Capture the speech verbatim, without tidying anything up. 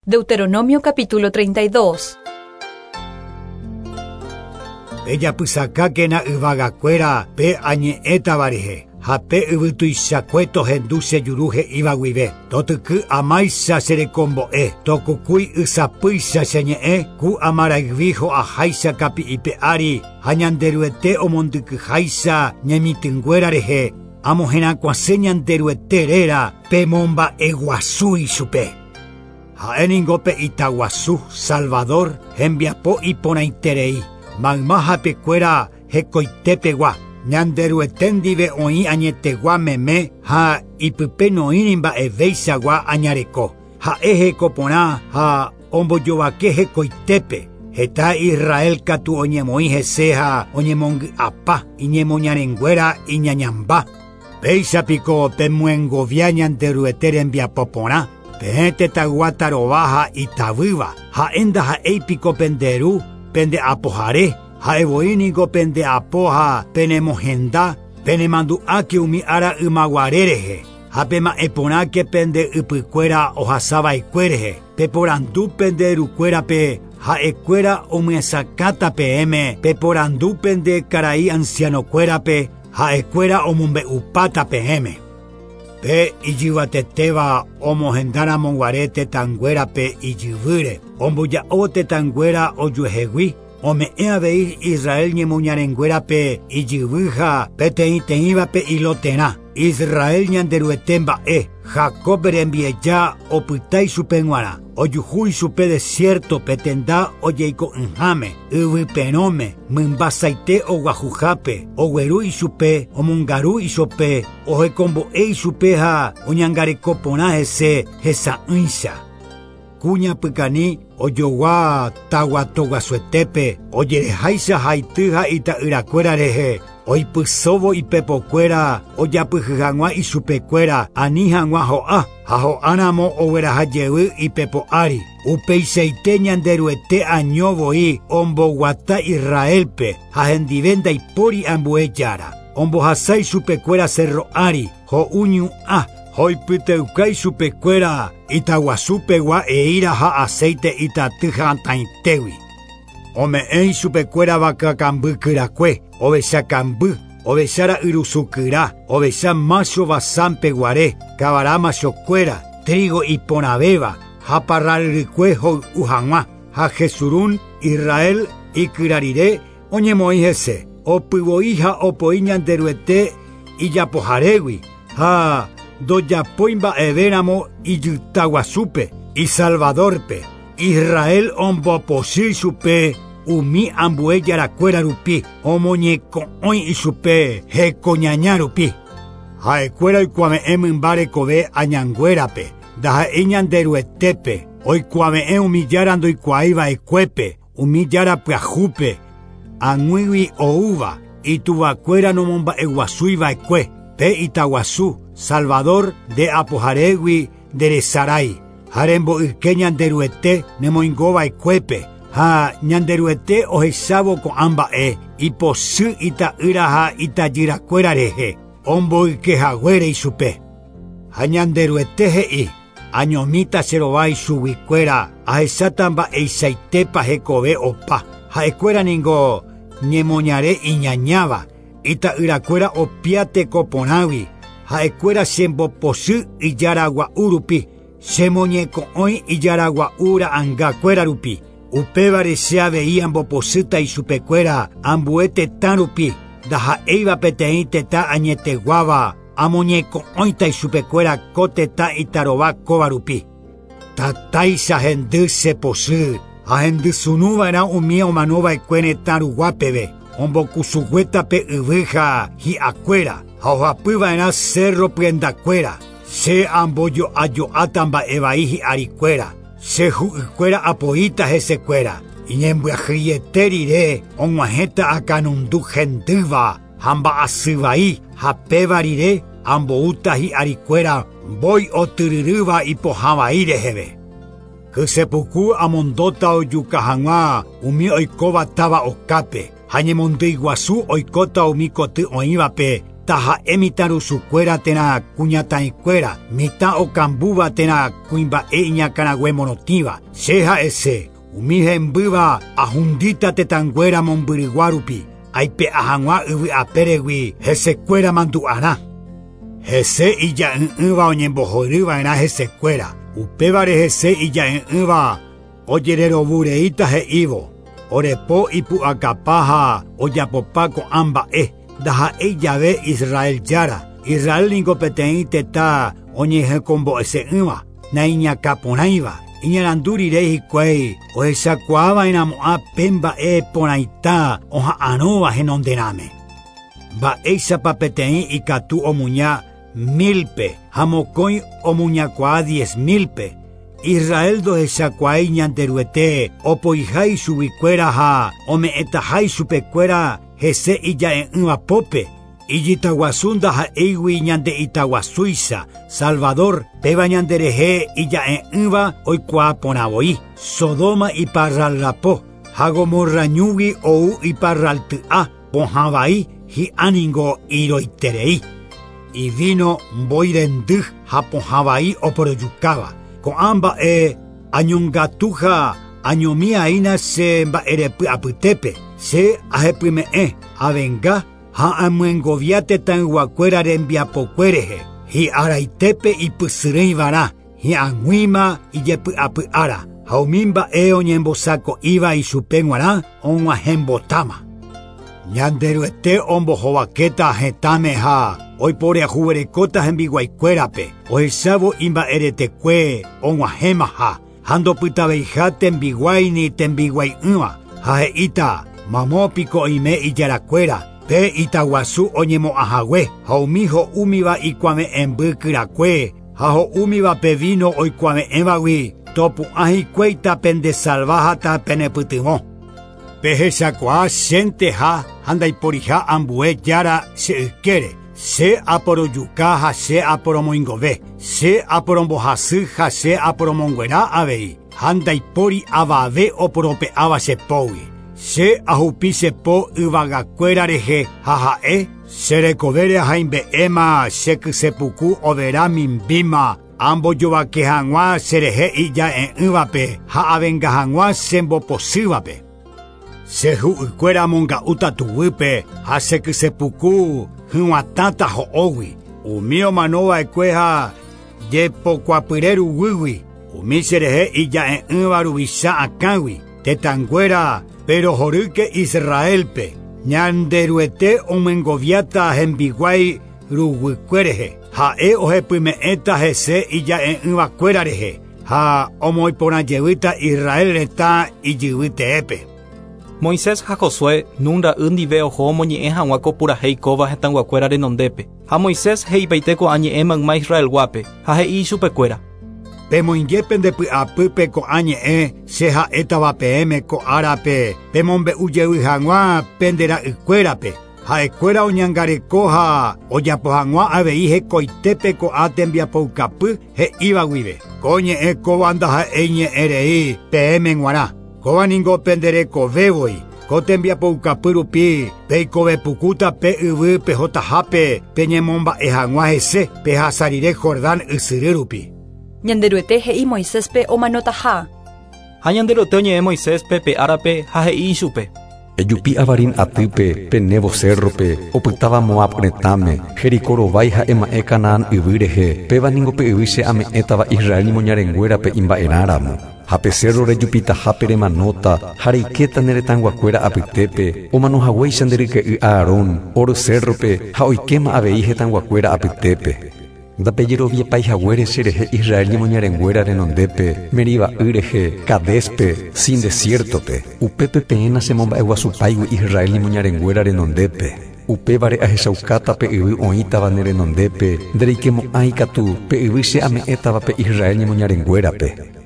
Deuteronomio capítulo treinta y dos. Pejapysakakena yvagakuéra pe añe'ẽtava rehe ha pe yvytuichakue tohendu che juru he'íva guive totyky amáicha cherekombo'e tokukúi ysapýicha che ñe'ẽ ku amarayvi ho'aháicha kapi'ipe ári ha Ñanderuete omondykyháicha ñemitỹnguéra rehe amoherakuãse Ñanderuete réra pemomba'eguasu ichupe. Ha'e ningo pe itaguasu Salvador hembiapo iporãiterei mayma hapekuéra hekoitepegua Ñanderuete ndive oĩ añetegua meme ha ipype noĩri mba'evéichagua añareko ha'e hekoporã ha ombojovake hekoitépe heta Israel katu oñemoĩ hese ha oñemongy'apa iñemoñarenguéra iñañamba péicha piko pemyengovia Ñanderuete rembiapo porã peẽ tetãygua tarova ha itavýva ha'e ndaha'éi piko penderu pendeapohare ha'evoi niko pendeapo ha penemohenda penemandu'áke umi ára ymaguare rehe ha pema'ẽporãke pende ypykuéra ohasava'ekue rehe peporandu pende rukuérape ha'ekuéra omyesakãta peẽme peporandu pende karai ancianokuérape ha'ekuéra omombe'upáta peẽme. Pe ijyvatetéva omohendaramoguare tetãnguérape ijyvýre omboja'o tetãnguéra ojuehegui ome'ẽ avei Israel ñemoñarenguérape ijyvy ha peteĩteĩvape iloterã Israel Ñanderuete mba'e Jacob rembieja opyta ichupe g̃uarã ojuhu ichupe desierto petenda ojeiko'ỹháme yvyperõme mymbasaite oguahuhápe ogueru ichupe omongaru ichupe ohekombo'e ichupe ha oñangareko porã hese hesa'ỹicha kuña pykani ojogua taguatoguasuetépe ojereháicha haity ha ita'yrakuéra rehe oipysóvo ipepokuéra ojapyhy hag̃ua ichupekuéra ani hag̃ua ho'a ha ho'áramo ogueraha jey ipepo ári upeichaite Ñanderuete año voi omboguata Israelpe ha hendive ndaipóri ambue jára ombohasa ichupekuéra cerro ári ho'u ñu'ã hoipyteuka ichupekuéra itaguasupegua eíra ha aceite itaty hatãitégui ome'ẽ ichupekuéra vakakamby kyrakue ovecha kamby ovecha ra'yrusu kyra ovecha macho Basánpeguare kavara machokuéra trigo iporãvéva ha parralrykue hoy'u hag̃ua ha Jesurún Israel ikyra rire oñemoĩ hese opyvoi ha opoi Ñanderuete ijapoharégui ha ndojapói mba'evéramo ijytaguasúpe Isalvadorpe Israel ombopochy ichupe umi ambue jarakuéra rupi omoñeko'õi ichupe hekoñaña rupi ha'ekuéra oikuave'ẽ mymba rekove añanguérape ndaha'éi Ñanderuetépe oikuave'ẽ umi jára ndoikuaáiva'ekuépe umi jára pyahúpe ag̃uígui oúva ituvakuéra nomomba'eguasúiva'ekue pe itaguasu Salvador de apoharégui nderesarái ha remboyke Ñanderuete nemoingova'ekuépe ha Ñanderuete ohechávo ko'ã mba'e ipochy ita'ýra ha itajyrakuéra rehe omboykehaguére ichupe ha Ñanderuete he'i añomíta cherova ichuguikuéra ahecháta mba'eichaitépa hekove opa ha'ekuéra ningo ñemoñare iñañáva ita'yrakuéra opia tekoporãgui ha'ekuéra chembopochy ijaragua'u rupi chemoñeko'õi ijaragua'u ra'ãngakuéra rupi upévare che avei ambopochýta ichupekuéra ambue tetã rupi ndaha'éiva peteĩ tetã añeteguáva amoñeko'õita ichupekuéra ko tetã itarova kóva rupi tatáicha hendy chepochy ha hendysunuva'erã umi omanova'ekue retã ruguápeve ombokusuguéta pe yvy ha hi'akuéra ha ohapyva'erã cerro pyendakuéra che ambojo'ajo'áta mba'evai hi'arikuéra che hu'ykuéra apoíta hesekuéra iñembyahýiete rire og̃uahẽta akãnundu hendýva ha mba'asyvai ha péva rire amboúta hi'arikuéra mbói otyryrýva ipohãvai reheve kysepuku amondóta ojuka hag̃ua umi oikóva táva okápe ha ñemondýiguasu oikóta umi koty oĩvape Taha'e mitãrusukuéra térã kuñataĩkuéra, mitã okambúva térã kuimba'e iñakãrague morotĩva. Che ha'ese, umi hembýva ahundíta tetãnguéra mombyrygua rupi, aipe'a hag̃ua yvy apéregui hesekuéra mandu'arã. Hese ija'ỹ'ỹva oñembohoryva'erã hesekuéra, upévare hese ija'ỹ'ỹva ojererovureíta he'ívo, orepo ipu'akapa ha ojapopa ko'ã mba'e, ndaha'éi jave Israel jára. Israel niko peteĩ tetã oñehekombo'ese'ỹva, naiñakãporãiva. Iñarandu rire hikuái ohechakuaava'erãmo'ã pe mba'e porãita oha'arõva henonderãme. Mba'éichapa peteĩ ikatu omuña milpe ha mokõi omuñakuaa diez milpe. Israel ndohechakuaái Ñanderuete opoihái chuguikuéra ha ome'ẽtahái chupekuéra hese ija'e'ỹva pópe. Ijitaguasu ndaha'éigui ñande itaguasúicha, Salvador, péva ñanderehe ija'e'ỹva oikuaa porã voi. Sodoma iparralrapo, ha Gomorrañúgui ou iparralty'a, pohã vai hi'áningo iroiterei. Ivino mbói rendy ha pohã vai oporojukáva. Ko'ã mba'e añongatuha añomi'aína che mba'erepy apytépe. Che ahepyme'ẽ, avenga ha amyengovia tetãyguakuéra rembiapokue rehe. Hi'araitépe ipysyrỹivarã, hi'ag̃uíma ijepy'apy'ára, ha umi mba'e oñembosako'íva ichupe g̃uarã og̃uahẽmbotáma. Ñanderuete ombohovakéta hetãme ha oiporiahuverekóta hembiguaikuérape, ohechávo imba'eretekue og̃uahẽmaha, ha ndopytaveiha tembiguái ni tembiguai'ỹva, ha he'íta mamópiko oime ijarakuéra, pe itaguasu oñemo'ãhague, ha umi ho'úmiva ikuave'ẽmby kyrakue, ha ho'úmiva pe vino oikuave'ẽvagui, topu'ã hikuéita pendesalváhata penepytyvõ. Pehechakuaa chénteha ha ndaiporiha ambue jára che ykére. Che aporojuka ha che aporomoingove, che aporombohasy ha che aporomonguera avei, ha ndaipóri avave oporope'áva che pógui. Che ahupi che po yvagakuéra rehe ha ha'e, che rekovére ahaimbe'éma che kysepuku overa mimbíma, ambojovake hag̃ua cherehe ija'e'ỹvape ha avenga hag̃ua chembopochývape. Che hu'ykuéra amonga'úta tuguýpe ha che kysepuku hyg̃uatãta ho'ógui. Umi omanova'ekue ha jepokuapyre ruguýgui, umi cherehe ija'e'ỹva ruvicha akãgui. Tetãnguéra perohorýke Israelpe, Ñanderuete omyengoviáta hembiguái ruguykue rehe. Ha'e ohepyme'ẽta hese ija'e'ỹvakuéra rehe ha omoiporãjevýta Israel retã ijyvy teépe. Moisés ha Josué Nun ra'y ndive oho omoñe'ẽ hag̃ua ko purahéi kóva hetãyguakuéra renondépe. Ha Moisés he'ipaite ko'ã ñe'ẽ mayma Israelguápe ha he'i ichupekuéra. Pemoinge pendepy'apýpe ko'ã ñe'ẽ che ha'étava peẽme ko árape, pemombe'u jey hag̃ua pende ra'ykuérape. Ha'ekuéra oñangareko ha ojapo hag̃ua avei hekoitépe ko'ã tembiapoukapy he'íva guive. Ko ñe'ẽ kóva ndaha'éi ñe'ẽ rei peẽme g̃uarã. Kóva ningo penderekovévoi. Ko tembiapoukapy rupi peikovepukúta pe yvy pehotahápe peñemomba'e hag̃ua hese pehasa rire Jordán ysyry rupi. Ñanderuete he'i Moiséspe omanotaha. Ha Ñanderuete oñe'ẽ Moiséspe pe árape ha he'i ichupe. Ejupi Avarín atýpe, pe Nebo cérrope, opytáva Moab retãme, Jericó rovái ha'e ma'ẽ Canaán yvy rehe, péva ningo pe yvy che ame'ẽtava Israel ñemoñarenguérape imba'erãramo. Ha pe cerro rejupitahápe remanóta, ha reikéta ne retãyguakuéra apytépe, omanohaguéicha nde ryke'y Aarón, Hor cérrope ha oikéma avei hetãyguakuéra apytépe. Ndapejeroviepaihaguére cherehe Israel ñemoñarenguéra renondépe, Meriba'y rehe, Cadéspe, Sin desiertope. Upépe peẽ nachemomba'eguasupáigui Israel ñemoñarenguéra renondépe. Upévare ahechaukáta pe yvy oĩtava ne renondépe, ndereikemo'ãi katu pe yvy che ame'ẽtava pe Israel ñemoñarenguérape.